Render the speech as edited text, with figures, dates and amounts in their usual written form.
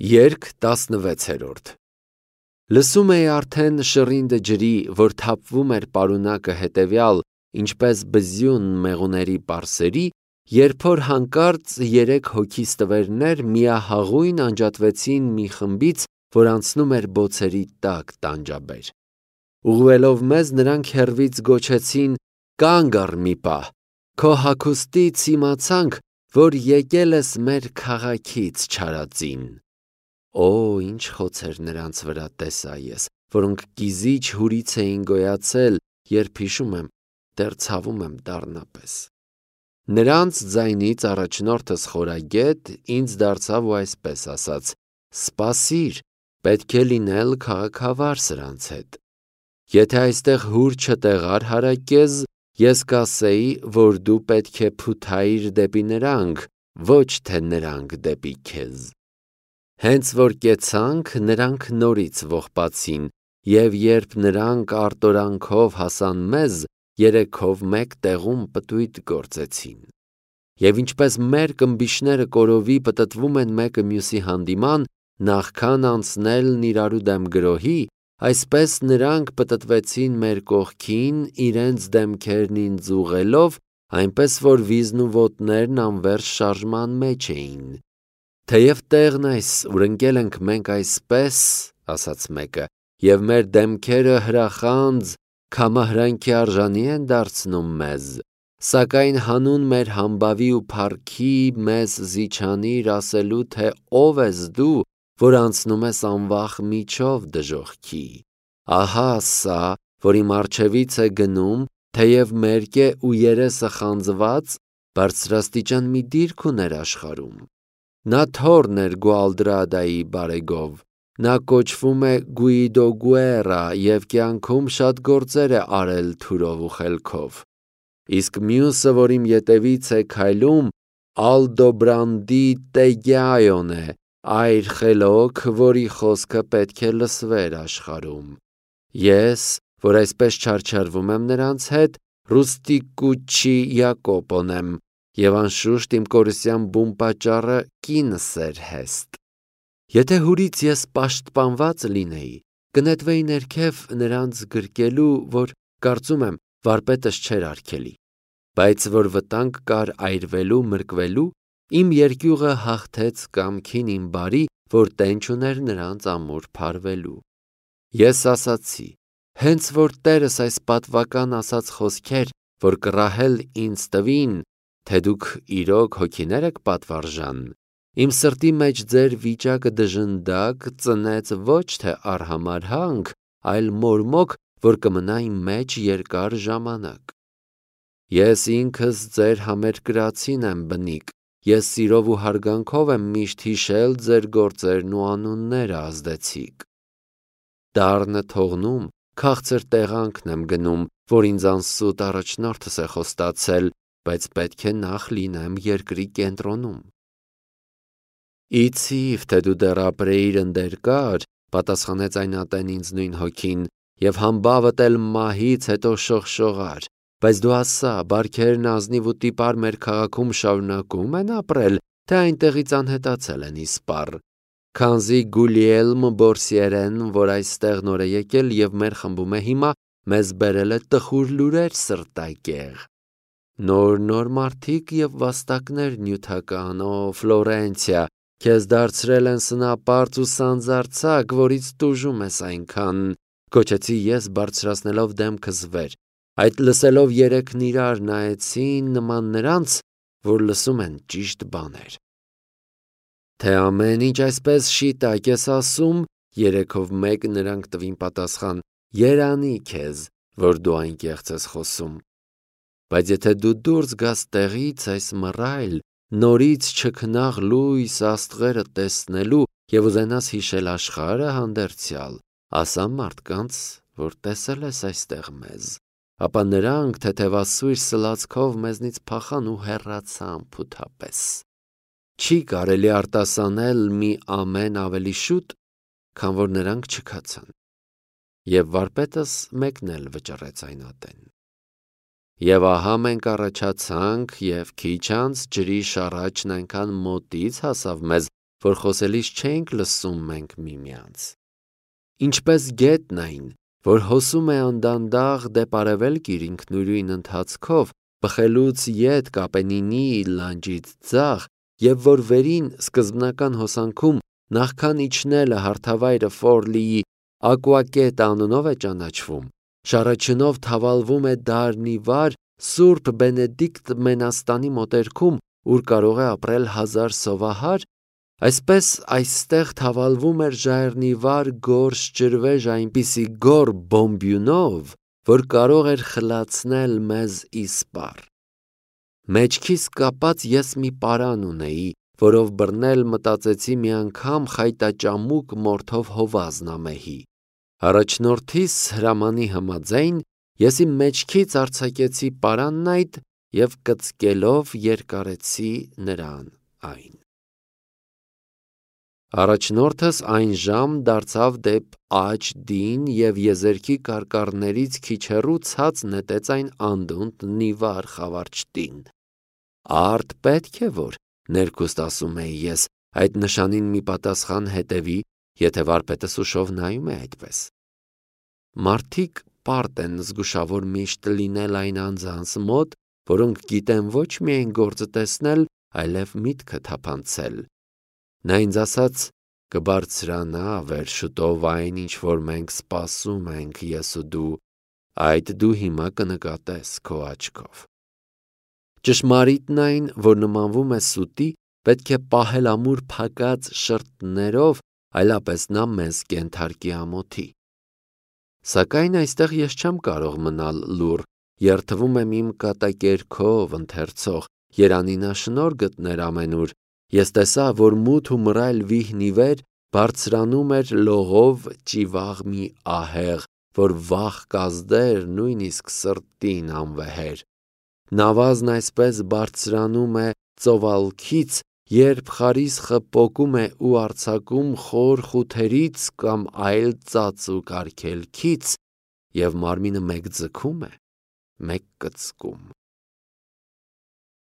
Երգ 16-րդ Լսում էի արդեն շռինդը ջրի, որ թափվում էր պարունակը հետևյալ, ինչպես բզյուն մեղուների պարսերի, երբ որ հանկարծ 3 հոգի ստվերներ միահաղույն անջատվեցին մի խմբից, որ անցնում էր բոցերի տակ տանջաբեր։ Ուղղվելով մեզ, նրանք հեռվից գոչեցին. «Կանգ առ մի պահ, քո հագուստից իմացանք, որ եկել ես մեր քաղաքից չարածին»։ Օ, ինչ խոցեր նրանց վրա տեսա ես, որոնք կիզիչ հուրից էին գոյացել, երբ հիշում եմ, դեռ ցավում եմ դառնապես։ Նրանց ձայնից առաջնորդս խորագետ ինձ դարձավ ու այսպես ասաց. «Սպասիր, պետք է լինել քաղաքավար սրանց հետ։ Եթե այստեղ հուր չտեղար հարակեզ, ես կասեի, որ դու պետք է փութայիր դեպի նրանք, ոչ թե նրանք դեպի քեզ»։ Հենց որ կեցանք, նրանք նորից ողբացին, և երբ նրանք արտորանքով հասան մեզ, 3-ով մեկ տեղում պտույտ գործեցին։ Եվ ինչպես մեր կմբիշները կորովի պտտվում են մեկը մյուսի հանդիման, նախքան անցնելն իրարու դեմ գրոհի, այսպես նրանք պտտվեցին մեր կողքին, իրենց դեմքերն ինձ ուղղելով, այնպես որ վիզն ու ոտներն անվերջ շարժման մեջ էին։ Թեև տեղն այս, ուր ընկել ենք մենք այսպես, ասաց մեկը, և մեր դեմքերը հրախանձ, քամահրանքի արժանի են դարձնում մեզ, սակայն հանուն մեր համբավի ու փառքի մեզ զիջանիր ասելու, թե ով ես դու, որ անցնում ես անվախ միջով դժոխքի։ Ահա սա, որ իմ առջևից է գնում, թեև մերկ է ու երեսը խանձված, բարձրաստիճան մի դիրք ուներ աշխարհում։ Նա թոռն էր Գուալդրադայի բարեգով, նա կոչվում է Գուիդո Գուերա և կյանքում շատ գործեր է արել թուրով ու խելքով։ Իսկ մյուսը, որ իմ ետևից է քայլում, Ալդոբրանդի Տեգիայոն է, այր խելոք, որի խոսքը պետք է լսվեր աշխարհում։ Ես, որ այսպես չարչարվում եմ նրանց հետ, Ռուստիկուչի Յակոպոն եմ, և անշուշտ իմ կորուսյան բուն պատճառը կինս էր Հեստ։ Եթե հուրից ես պաշտպանված լինեի, կնետվեի ներքև նրանց գրկելու, որ կարծում եմ վարպետս չէր արգելի, բայց որ վտանգ կար այրվելու, մրկվելու, իմ երկյուղը հաղթեց կամքին իմ բարի, որ տենչ ուներ նրանց ամուր փարվելու։ Ես ասացի. հենց որ Տերս այս պատվական ասած խոսքեր, որ կռահել ինձ տվին, թե դուք իրոք հոգիներ եք պատվարժան, իմ սրտի մեջ ձեր վիճակը դժնդակ ծնեց ոչ թե արհամարհանք, այլ մորմոք, որ կմնա իմ մեջ երկար ժամանակ։ Ես ինքս ձեր համերկրացին եմ բնիկ, ես սիրով ու հարգանքով եմ միշտ հիշել ձեր գործերն ու անունները ազդեցիկ։ Դառնը թողնում, քաղցր տեղանքն եմ գնում, որ ինձ անսուտ առաջնորդս է խոստացել, բայց պետք է նախ լինեմ երկրի կենտրոնում։ Իցիվ, թե դու դեռ ապրեիր ընդերկար, պատասխանեց այն ատեն ինձ նույն հոգին, և համբավդ էլ մահից հետո շողշողար, բայց դու ասա, բարքերն ազնիվ ու տիպար մեր քաղաքում շարունակում են ապրել, թե այնտեղից անհետացել են իսպառ, քանզի Գուլիելմ Բորսիերեն, որ այստեղ նոր է եկել և մեր խմբում է հիմա, մեզ բերել է տխուր լուրեր սրտակեղ։ Նոր մարդիկ և վաստակներ նյութական, օ Ֆլորենցիա, քեզ դարձրել են սնապարծ ու սանձարձակ, որից տուժում ես այնքան, գոչեցի ես բարձրացնելով դեմքս վեր, այդ լսելով երեքն իրար նայեցին նման նրանց, որ լսում են ճիշտ բաներ։ Թե ամեն ինչ այսպես շիտակ ես ասում, 3-ով մեկ նրանք տվին պատասխան. երանի քեզ, որ դու այն կեղծ ես խոսում։ Բայց եթե դու դուրս գաս տեղից այս մռայլ, նորից չքնաղ լույս աստղերը տեսնելու և ուզենաս հիշել աշխարհը հանդերձյալ, ասա մարդկանց, որ տեսել ես այստեղ մեզ, ապա նրանք թեթևասույր սլացքով մեզնից փախան ու հեռացան փութապես։ Չի կարելի արտասանել մի ամեն ավելի շուտ, քան որ նրանք չքացան։ Եվ վարպետս մեկն էլ վճռեց այն ատեն։ Եվ ահա մենք առաջացանք, և քիչ անց ջրի շառաչն այնքան մոտից հասավ մեզ, որ խոսելիս չենք լսում մենք միմյանց։ Ինչպես գետն այն, որ հոսում է անդանդաղ դեպ արևելք իր ինքնուրույն ընթացքով, բխելուց ետ Կապենինի լանջից ձախ, եւ որ վերին սկզբնական հոսանքում նախքան իջնելը հարթավայրը Ֆորլիի Ակուակետ անունով է ճանաչվում, շարաչնով թավալվում է դարնիվար Սուրբ Բենեդիկտ Մենաստանի մոտերքում, ուր կարող է ապրել 1000 սովահար, այսպես այստեղ թավալվում էր ժայռնիվար գորշ ջրվեժ այնպիսի գոր բոմբյունով, որ կարող էր խլացնել մեզ իսպառ։ Մեջքիս կապած ես մի պարան ունեի, որով բռնել մտածեցի մի անգամ խայտաճամուկ մորթով հովազ նամեհի։ Առաջնորդիս հրամանի համաձայն ես իմ մեջքից արձակեցի պարանն այդ և կծկելով երկարեցի նրան այն։ Առաջնորդս այն ժամ դարձավ դեպ աջ դին և եզերքի կարկառներից քիչ հեռու ցած նետեց այն անդունդ նիվար խավարչտին։ Արդ պետք է որ, ներքուստ ասում էի ես, այդ նշանին մի պատասխան հետևի, եթե վարպետս ուշով նայում է այդպես։ Մարդիկ պարտ են զգուշավոր միշտ լինել այն անձանց մոտ, որոնք գիտեն ոչ միայն գործը տեսնել, այլև միտքը թափանցել։ Նա ինձ ասաց. կբարձրանա վերջուտով այն, ինչ որ մենք սպասում ենք ես ու դու, այդ դու հիմա կնկատես քո աչքով։ Ճշմարիտն այն, որ նմանվում է սուտի, պետք է պահել ամուր փակած շրթներով, այլապես նա մեզ կենթարկի ամոթի։ Սակայն այստեղ ես չեմ կարող մնալ լուռ, երդվում եմ իմ կատակերգով ընթերցող, երանինաշնորհ գտներ ամենուր, ես տեսա, որ մութ ու մռայլ վիհն ի վեր բարձրանում էր լողով ճիվաղ մի ահեղ, որ վախ կազդեր նույնիսկ սրտին անվեհեր։ Նավազն այսպես բարձրանում է ծովալքից, երբ խարիսխը պոկում է ու արձակում խոր խութերից կամ այլ ծածուկ արգելքից, և մարմինը մեկ ձգում է, մեկ կծկում։